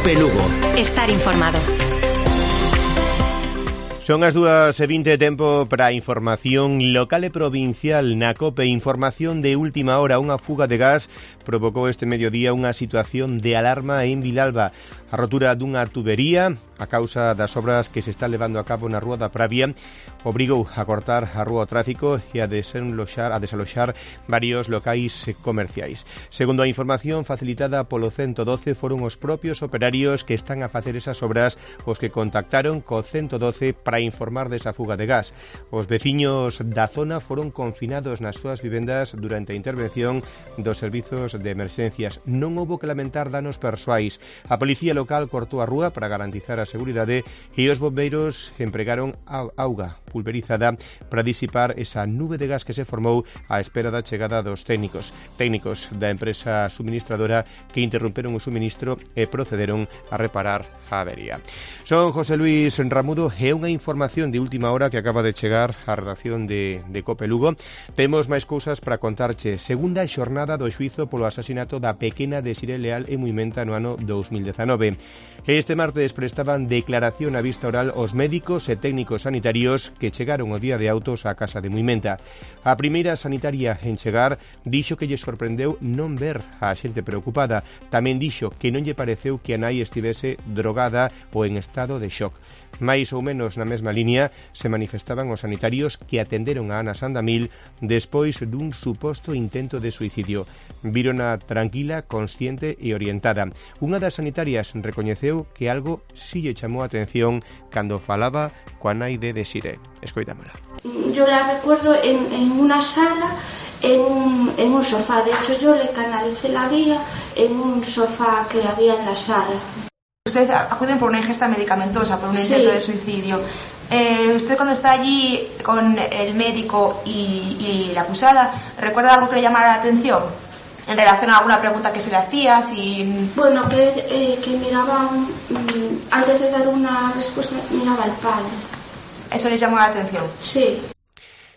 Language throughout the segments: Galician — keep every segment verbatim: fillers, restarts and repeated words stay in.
COPE Lugo. Estar informado. Son as dúas e vinte, tempo para a información local e provincial na COPE. Información de última hora: unha fuga de gas provocou este mediodía unha situación de alarma en Vilalba. A rotura dunha tubería a causa das obras que se está levando a cabo na Rúa da Pravia obrigou a cortar a rúa ao tráfico e a desaloxar, a desaloxar varios locais comerciais. Segundo a información facilitada polo ciento doce, foron os propios operarios que están a facer esas obras os que contactaron co ciento doce para informar desa fuga de gas. Os veciños da zona foron confinados nas súas vivendas durante a intervención dos servizos de emerxencias. Non houbo que lamentar danos persoais. A policía local cortou a rúa para garantizar a seguridade e os bombeiros empregaron auga pulverizada para disipar esa nube de gas que se formou á espera da chegada dos técnicos. Técnicos da empresa suministradora que interromperon o suministro e procederon a reparar a avería. Son José Luis Ramudo e unha información de última hora que acaba de chegar á redacción de, de COPE Lugo. Temos máis cousas para contarche. Segunda xornada do xuízo polo asasinato da pequena Desiré Leal en Muimenta no ano dous mil dezanove. Este martes prestaban declaración a vista oral os médicos e técnicos sanitarios que chegaron o día de autos á casa de Muimenta. A primeira sanitaria en chegar dixo que lle sorprendeu non ver a xente preocupada. Tamén dixo que non lle pareceu que a nai estivese drogada ou en estado de shock. Mais ou menos na mesma línea se manifestaban os sanitarios que atenderon a Ana Sandamil despois dun suposto intento de suicidio. Vírona tranquila, consciente e orientada. Unha das sanitarias recoñeceu que algo si lle chamou a atención cando falaba coa nai de Desiré. Escoitámola. Yo la recuerdo en, en una sala, en un, en un sofá. De hecho, yo le canalicé la vía en un sofá que había en la sala. Ustedes acuden por una ingesta medicamentosa, por un sí. intento de suicidio. Eh, usted cuando está allí con el médico y, y la acusada, ¿recuerda algo que le llamara la atención? En relación a alguna pregunta que se le hacía, si... Bueno, que, eh, que miraban, antes de dar una respuesta, miraba al padre. ¿Eso les llamó la atención? Sí.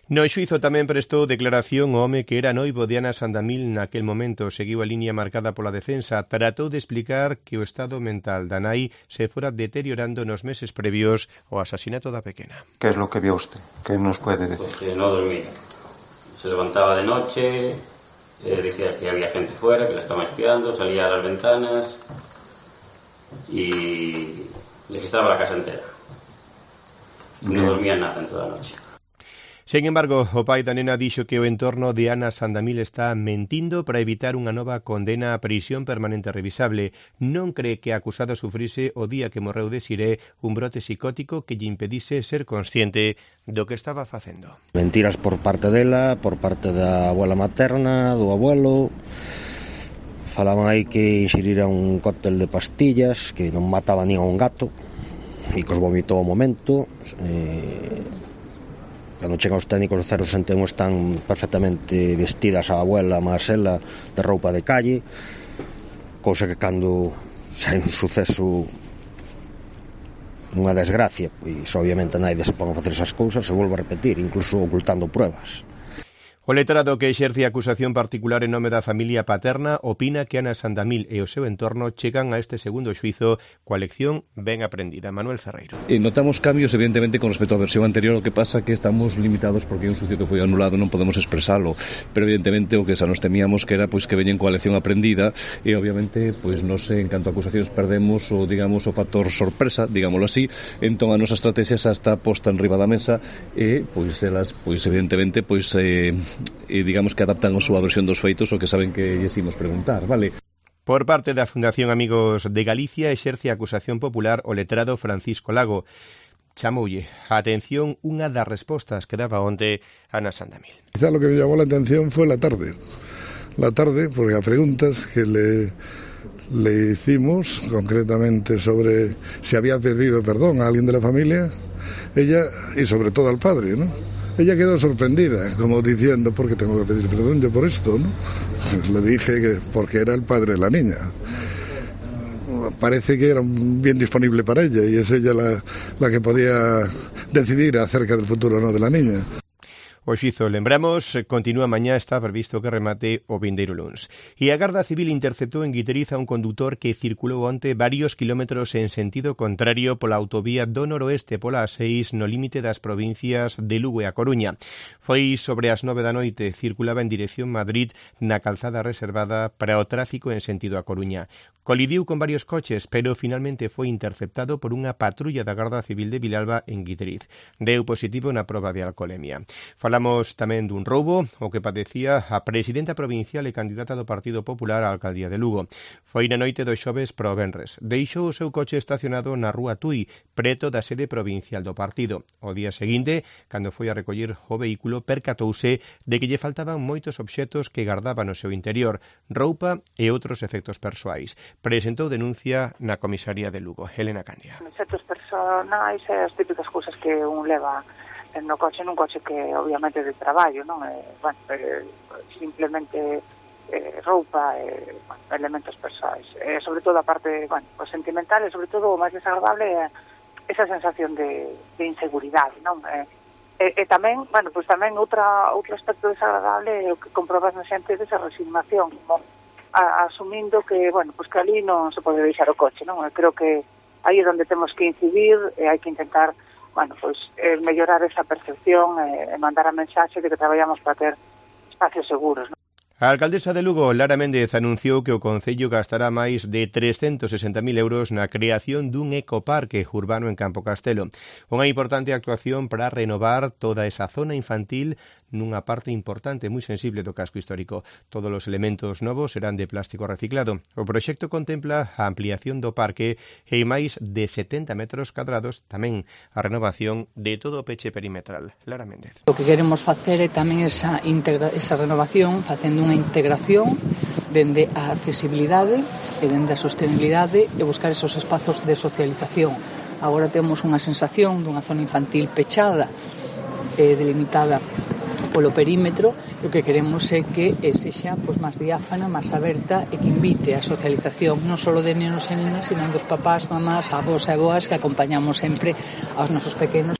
No xuízo tamén prestou declaración o home que era noivo de Ana Sandamil naquel momento. Seguiu a liña marcada pola defensa. Tratou de explicar que o estado mental da nai se fora deteriorando nos meses previos ao asasinato da pequena. ¿Qué es lo que vio usted? ¿Qué nos puede decir? Pues que no dormía. Se levantaba de noche, eh, decía que había gente fuera, que la estaban espiando, salía a las ventanas y registraba la casa entera. No dormía nada en toda la noche. Sen embargo, o pai da nena dixo que o entorno de Ana Sandamil está mentindo para evitar unha nova condena a prisión permanente revisable. Non cree que a acusada sufrise o día que morreu Desiré un brote psicótico que lle impedise ser consciente do que estaba facendo. Mentiras por parte dela, por parte da abuela materna, do abuelo. Falaban aí que inxirira un cóctel de pastillas que non mataba nin a un gato e que os vomitou ao momento. Eh... Cando chegan os técnicos do cero sesenta e un están perfectamente vestidas a abuela máis ela de roupa de calle, cousa que cando sai un suceso, unha desgracia, pois obviamente naide se pon a facer esas cousas, se volve a repetir, incluso ocultando pruebas. O letrado que exerce a acusación particular en nome da familia paterna opina que Ana Sandamil e o seu entorno chegan a este segundo xuízo coa lección ben aprendida. Manuel Ferreiro. E notamos cambios, evidentemente, con respecto á versión anterior, o que pasa que estamos limitados porque é un xuicio que foi anulado, non podemos expresalo, pero evidentemente o que xa nos temíamos que era pois que veñen coa lección aprendida e obviamente pois nos en canto a acusacións perdemos o digamos o factor sorpresa, digámoslo así, entón a nosa estrategia xa está posta en riba da mesa e pois elas pois evidentemente pois eh, e digamos que adaptan a súa versión dos feitos o que saben que lles imos preguntar, vale? Por parte da Fundación Amigos de Galicia exerce a acusación popular o letrado Francisco Lago. Chamoulle a atención unha das respostas que daba onte Ana Sandamil. Quizá lo que me llamó la atención fue la tarde. La tarde, porque a preguntas que le, le hicimos, concretamente sobre si había pedido perdón a alguien de la familia, ella, y sobre todo al padre, ¿no? Ella quedó sorprendida, como diciendo, ¿por qué tengo que pedir perdón yo por esto? ¿No? Pues le dije que porque era el padre de la niña. Parece que era bien disponible para ella y es ella la, la que podía decidir acerca del futuro o no de la niña. O xuízo, lembramos, continúa mañá, está previsto que remate o vindeiro luns. E a Garda Civil interceptou en Guiteriz a un condutor que circulou onte varios kilómetros en sentido contrario pola autovía do noroeste pola A seis no límite das provincias de Lugo e A Coruña. Foi sobre as nove da noite, circulaba en dirección Madrid na calzada reservada para o tráfico en sentido A Coruña. Colidiu con varios coches, pero finalmente foi interceptado por unha patrulla da Garda Civil de Vilalba en Guiteriz. Deu positivo na proba de alcolemia. Falamos tamén dun roubo, o que padecía a presidenta provincial e candidata do Partido Popular á alcaldía de Lugo. Foi na noite do xoves para o venres. Deixou o seu coche estacionado na rúa Tui, preto da sede provincial do partido. O día seguinte, cando foi a recoller o vehículo, percatouse de que lle faltaban moitos obxetos que gardaba no seu interior, roupa e outros efectos persoais. Presentou denuncia na comisaría de Lugo. Helena Candia. Efectos personais e as típicas cousas que un leva no coche, nun coche que obviamente de traballo, non? Eh, bueno, eh, simplemente eh, roupa e eh, bueno, elementos persoais. Eh, sobre todo a parte, bueno, pues sentimental e sobre todo o máis desagradable é esa sensación de, de inseguridade, non? Eh, e, e tamén, bueno, pues tamén outra outro aspecto desagradable é o que comprobas na xente desa resignación, como a, asumindo que, bueno, pues que ali non se pode deixar o coche, non? Eu creo que aí é onde temos que incidir e hai que intentar, bueno, pues eh, mellorar esa percepción e eh, mandar a mensaxe de que traballamos para ter espacios seguros, non? A alcaldesa de Lugo, Lara Méndez, anunciou que o Concello gastará máis de trescentos sesenta mil euros na creación dun ecoparque urbano en Campo Castelo. Unha importante actuación para renovar toda esa zona infantil nunha parte importante, moi sensible do casco histórico. Todos os elementos novos serán de plástico reciclado. O proxecto contempla a ampliación do parque e máis de setenta metros cadrados, tamén a renovación de todo o peche perimetral. Lara Méndez. O que queremos facer é tamén esa, integra- esa renovación, facendo unha integración dende a accesibilidade e dende a sostenibilidade e buscar esos espazos de socialización. Agora temos unha sensación dunha zona infantil pechada e delimitada polo perímetro, e o que queremos é que sexa pois, máis diáfana, máis aberta e que invite a socialización non só de nenos e nenas, sino dos papás, mamás, avós e avoas que acompañamos sempre aos nosos pequenos.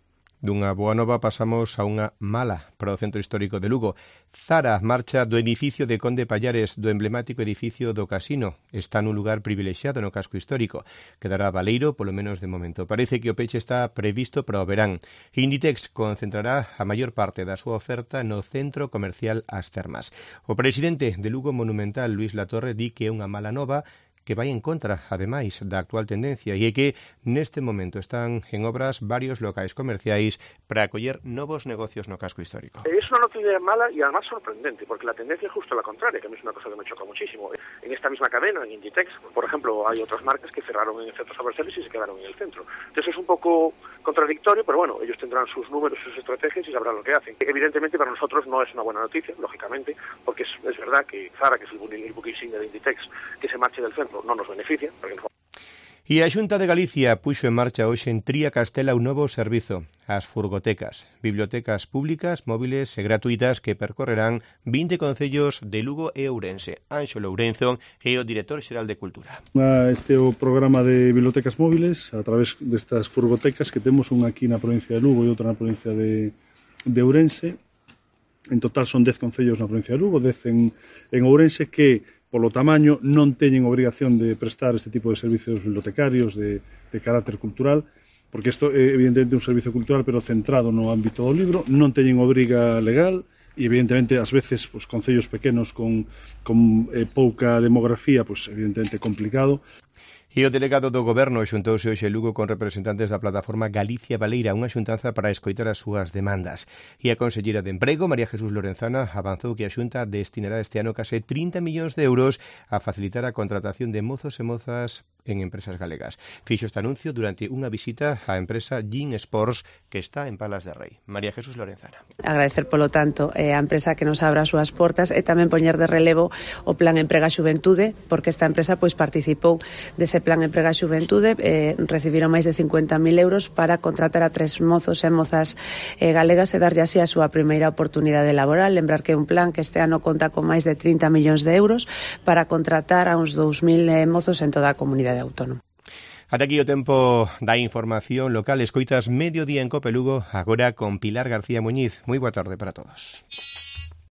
Dunha boa nova pasamos a unha mala para o Centro Histórico de Lugo. Zara marcha do edificio de Conde Pallares, do emblemático edificio do Casino. Está nun lugar privilexiado no casco histórico. Quedará baleiro, polo menos de momento. Parece que o peche está previsto para o verán. Inditex concentrará a maior parte da súa oferta no centro comercial As Termas. O presidente de Lugo Monumental, Luís Latorre, di que é unha mala nova que vai en contra, ademais, da actual tendencia e é que neste momento están en obras varios locais comerciais para acoller novos negocios no casco histórico. Es una noticia mala y además sorprendente, porque la tendencia es justo la contraria, que a mí es una cosa que me choca muchísimo. En esta misma cadena, en Inditex, por ejemplo, hay otras marcas que cerraron en centros comerciales y se quedaron en el centro. Entonces es un poco contradictorio, pero bueno, ellos tendrán sus números, sus estrategias y sabrán lo que hacen. Evidentemente para nosotros no es una buena noticia, lógicamente, porque es, es verdad que Zara, que es el buque insignia de Inditex, que se marche del centro, no nos beneficia. Porque nos... E a Xunta de Galicia puxo en marcha hoxe en Tría Castela un novo servizo, as furgotecas, bibliotecas públicas, móviles e gratuitas que percorrerán vinte concellos de Lugo e Ourense. Anxo Lourenzo é o director xeral de Cultura. Este é o programa de bibliotecas móviles a través destas furgotecas que temos unha aquí na provincia de Lugo e outra na provincia de, de Ourense. En total son dez concellos na provincia de Lugo, dez en, en Ourense que polo tamaño non teñen obrigación de prestar este tipo de servicios bibliotecarios de, de carácter cultural, porque isto é evidentemente un servicio cultural pero centrado no ámbito do libro, non teñen obriga legal e evidentemente ás veces pues, concellos pequenos con, con eh, pouca demografía, pues, evidentemente complicado. E o delegado do Goberno xuntouse hoxe Lugo con representantes da plataforma Galicia Baleira, unha xuntanza para escoitar as súas demandas. E a conselleira de Emprego, María Jesús Lorenzana, avanzou que a Xunta destinará este ano case trinta millóns de euros a facilitar a contratación de mozos e mozas en empresas galegas. Fixo este anuncio durante unha visita á empresa Gin Sports que está en Palas de Rei. María Jesús Lorenzana. Agradecer, polo tanto, a empresa que nos abra as súas portas e tamén poñer de relevo o Plan Emprega Xuventude, porque esta empresa pois participou dese Plan Emprega Xuventude, eh, recibiron máis de cincuenta mil euros para contratar a tres mozos e mozas eh, galegas e darlle así a súa primeira oportunidade laboral. Lembrar que é un plan que este ano conta con máis de trinta millóns de euros para contratar a uns dous mil eh, mozos en toda a comunidade autónoma. Ata aquí o tempo da información local. Escoitas Mediodía en Cope Lugo, agora con Pilar García Muñiz. Moi boa tarde para todos.